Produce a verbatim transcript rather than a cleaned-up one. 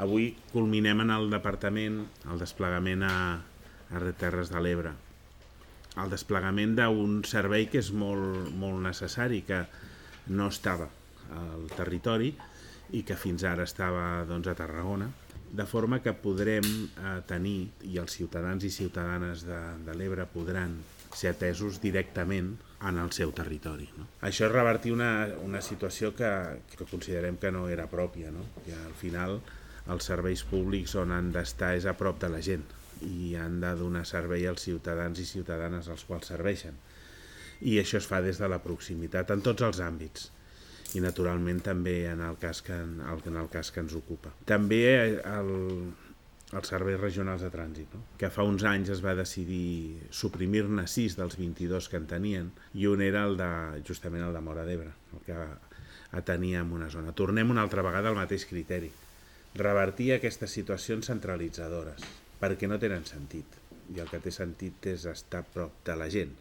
Avui culminem en el departament el desplegament a, a Terres de l'Ebre. El desplegament d'un servei que és molt, molt necessari, que no estava al territori i que fins ara estava doncs, a Tarragona, de forma que podrem eh, tenir, i els ciutadans i ciutadanes de, de l'Ebre podran ser atesos directament en el seu territori. No? Això és revertir una, una situació que, que considerem que no era pròpia, no? Que al final els serveis públics on han d'estar és a prop de la gent i han de donar servei als ciutadans i ciutadanes als quals serveixen. I això es fa des de la proximitat en tots els àmbits i naturalment també en el cas que, en el cas que ens ocupa. També el, els serveis regionals de trànsit, no? Que fa uns anys es va decidir suprimir-ne sis dels vint-i-dos que en tenien i un era el de, justament el de Móra d'Ebre, el que atenia en una zona. Tornem una altra vegada al mateix criteri, revertir aquestes situacions centralitzadores, perquè no tenen sentit, i el que té sentit és estar a prop de la gent.